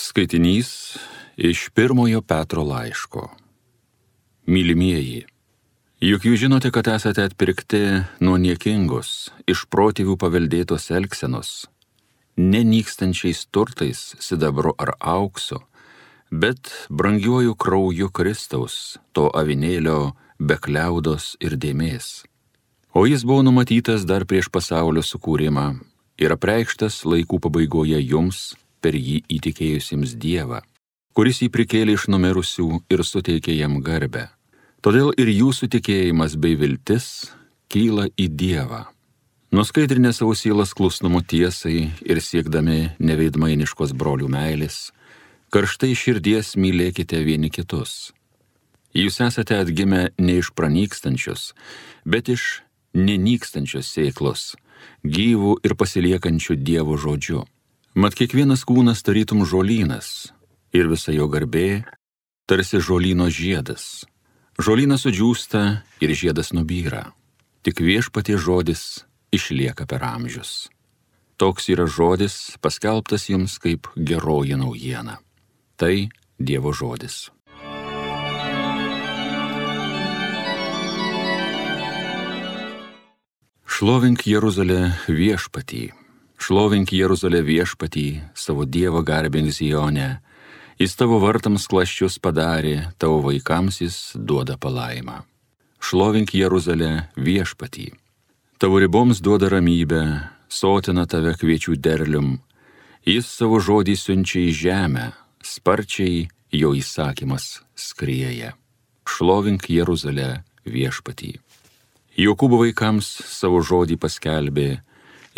Skaitinys iš pirmojo Petro laiško. Mylimieji, juk jūs žinote, kad esate atpirkti nuo niekingos, iš protėvių paveldėtos elgsenos, nenykstančiais turtais, sidabru ar auksu, bet brangiuoju krauju Kristaus, to avinėlio be kliaudos ir dėmės. O jis buvo numatytas dar prieš pasaulio sukūrimą ir apreikštas laikų pabaigoje jums, per jį įtikėjusiems Dievą, kuris jį prikėlė iš numirusių ir suteikė jam garbę. Todėl ir jūsų tikėjimas bei viltis kyla į Dievą. Nuskaidrinę savo sielas klusnumu tiesai ir siekdami neveidmainiškos brolių meilės, karštai širdies mylėkite vieni kitus. Jūs esate atgimę ne iš pranykstančios, bet iš nenykstančios sėklos, gyvų ir pasiliekančių Dievo žodžiu. Mat kiekvienas kūnas tarytum žolynas, ir visa jo garbė tarsi žolyno žiedas. Žolynas sudžiūsta ir žiedas nubyra, tik Viešpaties žodis išlieka per amžius. Toks yra žodis paskelbtas jums kaip geroji naujiena. Tai Dievo žodis. Šlovink Jeruzalę Viešpatį. Šlovink Jeruzalę Viešpatį, savo Dievą garbink Zione. Jis tavo vartams klasčius padarė, tavo vaikams jis duoda palaimą. Šlovink Jeruzalę Viešpatį. Tavo riboms duoda ramybę, sotina tave kviečių derlium. Jis savo žodį siunčia į žemę, sparčiai jo įsakymas skrieja. Šlovink Jeruzalę Viešpatį. Jokūbo vaikams savo žodį paskelbė,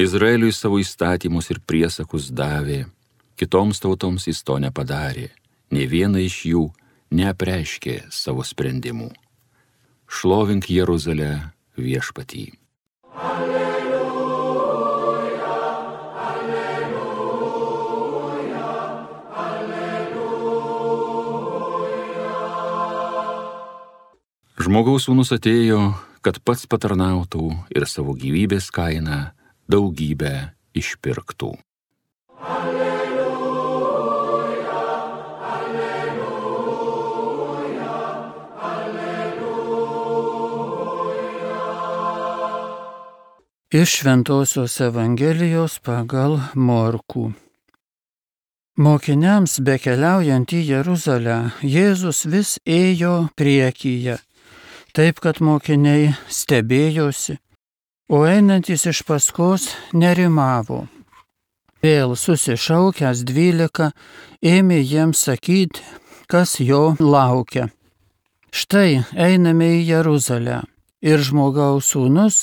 Izraeliui savo įstatymus ir priesakus davė, kitoms tautoms jis to nepadarė, nė viena iš jų neapreiškė savo sprendimų. Šlovink Jeruzalę Viešpatį. Alleluja, alleluja, alleluja. Žmogaus sūnus atėjo, kad pats patarnautų ir savo gyvybės kainą daugybę išpirktų. Alleluja, alleluja, alleluja. Iš Šventosios Evangelijos pagal Morkų. Mokiniams bekeliaujant į Jeruzalę, Jėzus vis ėjo priekyje, taip kad mokiniai stebėjosi, o einantis iš paskos nerimavo. Vėl susišaukęs 12 ėmė jiems sakyti, kas jo laukia. Štai einame į Jeruzalę ir žmogaus sūnus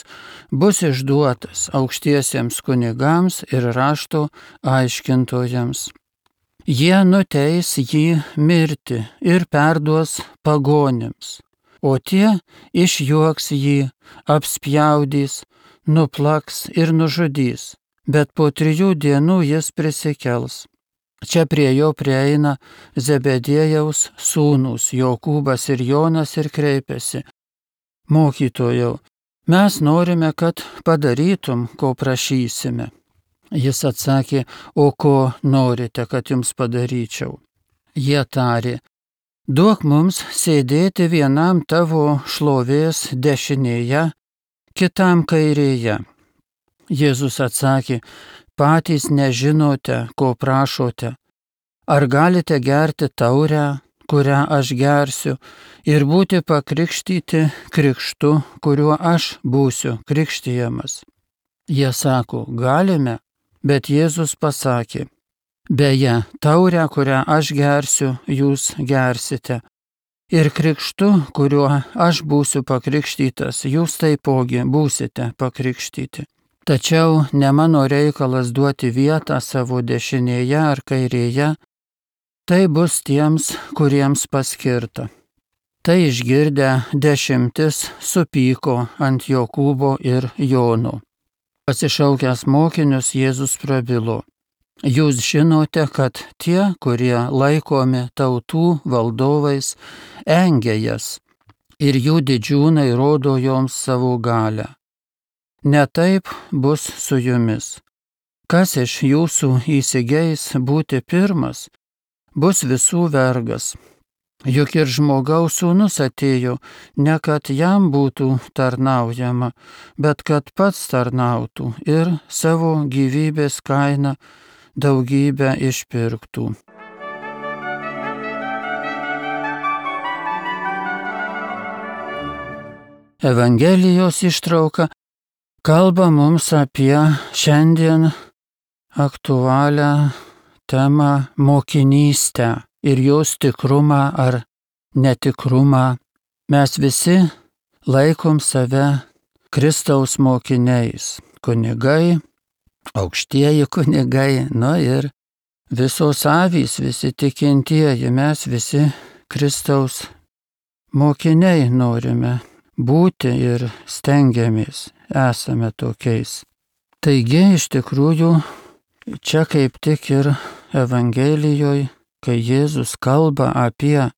bus išduotas aukštiesiems kunigams ir rašto aiškintojams. Jie nuteis jį mirti ir perduos pagonims, o tie išjuoks jį, apspjaudys, nuplaks ir nužudys, bet po 3 dienų jis prisikels. Čia prie jo prieina Zebediejaus sūnūs Jokūbas ir Jonas ir kreipiasi: Mokytojau, mes norime, kad padarytum, ko prašysime. Jis atsakė: o ko norite, kad jums padaryčiau? Jie tarė: duok mums sėdėti vienam tavo šlovės dešinėje, kitam kairėje. Jėzus atsakė: patys nežinote, ko prašote. Ar galite gerti taurę, kurią aš gersiu, ir būti pakrikštyti krikštu, kuriuo aš būsiu krikštijamas? Jie sako: galime, bet Jėzus pasakė: beje, taurę, kurią aš gersiu, jūs gersite, ir krikštu, kuriuo aš būsiu pakrikštytas, jūs taipogi būsite pakrikštyti. Tačiau ne mano reikalas duoti vietą savo dešinėje ar kairėje, tai bus tiems, kuriems paskirta. Tai išgirdę 10 supyko ant Jokūbo ir Jono. Pasišaukęs mokinius, Jėzus prabilo: jūs žinote, kad tie, kurie laikomi tautų valdovais, engia jas, ir jų didžiūnai rodo joms savo galią. Ne taip bus su jumis. Kas iš jūsų įsigeis būti pirmas, bus visų vergas. Juk ir žmogaus sūnus atėjo, ne kad jam būtų tarnaujama, bet kad pats tarnautų ir savo gyvybės kainą daugybę išpirktų. Evangelijos ištrauka kalba mums apie šiandien aktualią temą mokinystę ir jos tikrumą ar netikrumą. Mes visi laikom save Kristaus mokiniais, kunigai, aukštieji kunigai, ir visos avys, visi tikintieji, mes visi Kristaus mokiniai norime būti ir stengiamės, esame tokiais. Taigi, iš tikrųjų, čia kaip tik ir Evangelijoje, kai Jėzus kalba apie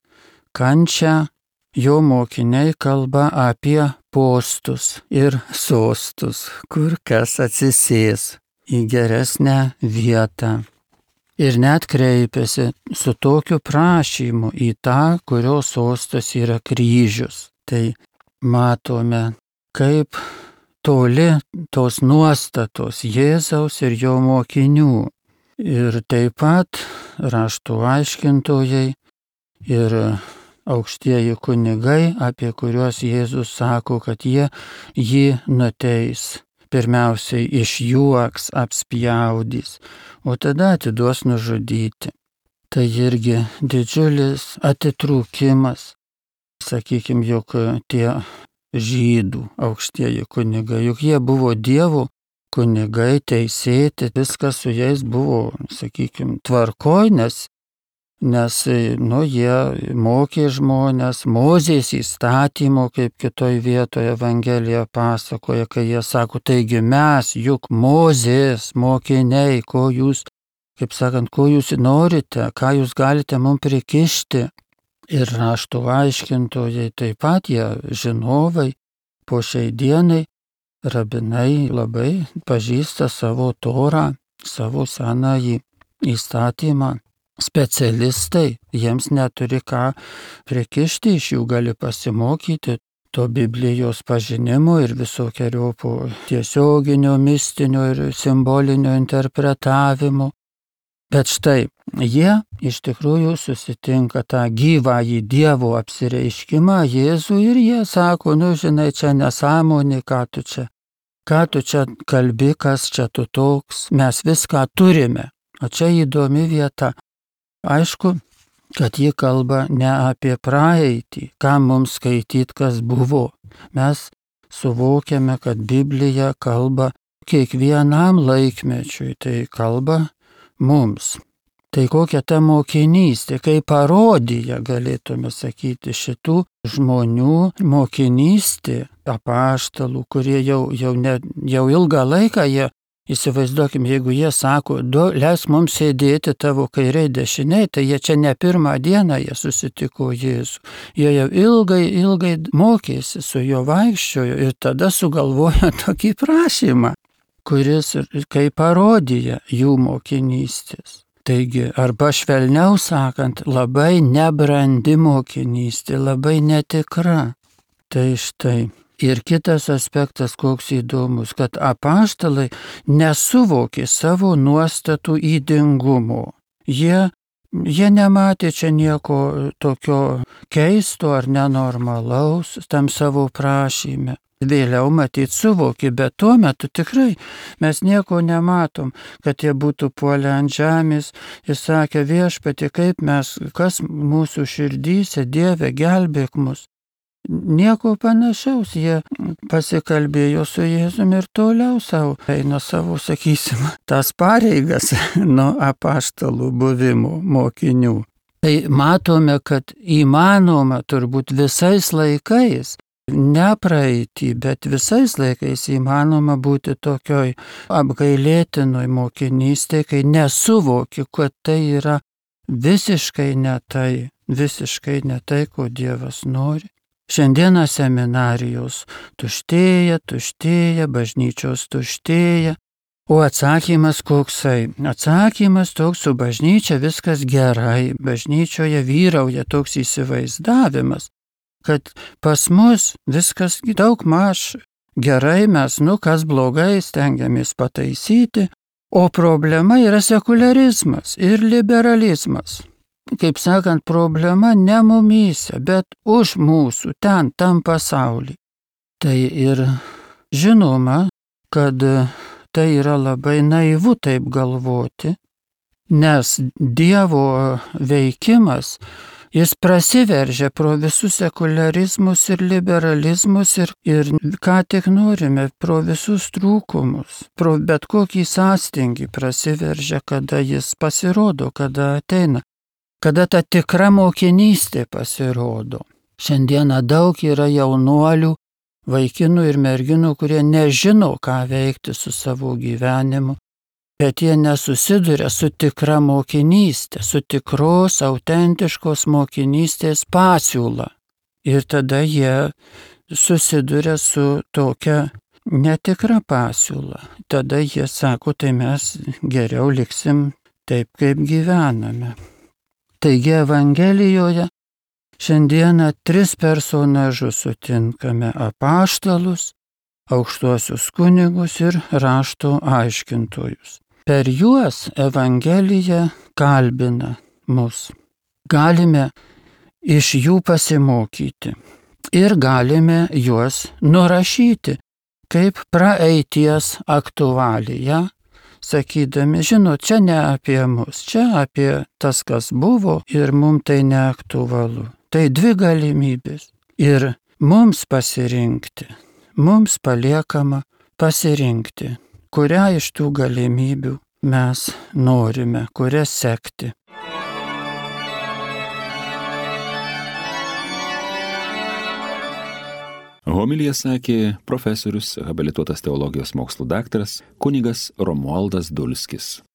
kančią, jo mokiniai kalba apie postus ir sostus, kur kas atsisės į geresnę vietą. Ir net kreipiasi su tokiu prašymu į tą, kurio sostas yra kryžius. Tai matome, kaip toli tos nuostatos Jėzaus ir jo mokinių. Ir taip pat raštų aiškintojai ir aukštieji kunigai, apie kuriuos Jėzus sako, kad jie jį nuteis. Pirmiausiai išjuoks, apspjaudys, o tada atiduos nužudyti. Tai irgi didžiulis atitrūkimas. Sakykime, juk tie žydų aukštieji kunigai, juk jie buvo Dievo kunigai, teisėti, viskas su jais buvo, sakykime, tvarkoj, nes jie mokė žmonės, Mozės įstatymo, kaip kitoj vietoje Evangelija pasakoja, kai jie sako, taigi mes juk Mozės mokiniai, ko jūs norite, ką jūs galite mums prikišti. Ir raštų aiškintojai taip pat, jie žinovai, po šiai dienai rabinai labai pažįsta savo Torą, savo senąjį įstatymą. Specialistai, jiems neturi ką prikišti, iš jų gali pasimokyti to Biblijos pažinimo ir visokeriopų tiesioginio, mistinio ir simbolinio interpretavimo. Bet štai, jie iš tikrųjų susitinka tą gyvąjį Dievo apsireiškimą Jėzų ir jie sako, žinai, čia nesąmonė, ką tu čia kalbi, kas čia tu toks, mes viską turime. O čia įdomi vieta. Aišku, kad ji kalba ne apie praeitį, ką mums skaityti, kas buvo. Mes suvokiame, kad Biblija kalba kiekvienam laikmečiui, tai kalba mums. Tai kokia ta mokinystė, kaip parodija, galėtume sakyti, šitų žmonių mokinystė, apaštalų, kurie jau ilgą laiką jie, įsivaizduokim, jeigu jie sako, leisk mums sėdėti tavo kairiai dešiniai, tai jie čia ne pirmą dieną jie susitiko Jėzų. Jie jau ilgai mokėsi, su juo vaikščiojo ir tada sugalvojo tokį prašymą, kuris kaip parodija jų mokinystės. Taigi, arba švelniau sakant, labai nebrandi mokinystė, labai netikra. Tai štai. Ir kitas aspektas, koks įdomus, kad apaštalai nesuvokė savo nuostatų ydingumo. Jie nematė čia nieko tokio keisto ar nenormalaus tam savo prašyme. Vėliau matyt suvokė, bet tuo metu tikrai mes nieko nematom, kad jie būtų puolę ant žemės ir sakė, Viešpatie, kas mūsų širdyse, Dieve, gelbėk mus. Nieko panašaus, jie pasikalbėjo su Jėzumi ir toliau eina savo, sakysim, tas pareigas nuo apaštalų buvimo mokinių. Tai matome, kad įmanoma turbūt visais laikais, ne praeitį, bet visais laikais įmanoma būti tokioj apgailėtinoj mokinystėje, kai nesuvoki, kad tai yra visiškai ne tai, ko Dievas nori. Šiandieną seminarijos tuštėja, bažnyčios tuštėja, O atsakymas koksai? Atsakymas toks, su bažnyčia viskas gerai, bažnyčioje vyrauja toks įsivaizdavimas, kad pas mus viskas daug maž gerai, mes, kas blogai, stengiamės pataisyti, o problema yra sekularizmas ir liberalizmas. Kaip sakant, problema ne mumyse, bet už mūsų, ten, tam pasaulyje. Tai ir žinoma, kad tai yra labai naivu taip galvoti, nes Dievo veikimas, jis prasiveržia pro visus sekularizmus ir liberalizmus ir ką tik norime, pro visus trūkumus, pro bet kokį sąstingį prasiveržia, kada jis pasirodo, kada ateina, kada ta tikra mokinystė pasirodo. Šiandieną daug yra jaunuolių, vaikinų ir merginų, kurie nežino, ką veikti su savo gyvenimu, bet jie nesusiduria su tikra mokinystė, su tikros, autentiškos mokinystės pasiūla. Ir tada jie susiduria su tokia netikra pasiūla. Tada jie sako, tai mes geriau liksim taip, kaip gyvename. Taigi Evangelijoje šiandieną 3 personažus sutinkame: apaštalus, aukštuosius kunigus ir rašto aiškintojus. Per juos Evangelija kalbina mus. Galime iš jų pasimokyti ir galime juos nurašyti kaip praeities aktualiją, sakydami, žinot, čia ne apie mus, čia apie tas, kas buvo ir mums tai neaktualu. Tai 2 galimybės. Ir mums pasirinkti, mums paliekama pasirinkti, kurią iš tų galimybių mes norime, kurią sekti. Homiliją sakė profesorius, habilituotas teologijos mokslų daktaras kunigas Romualdas Dulskis.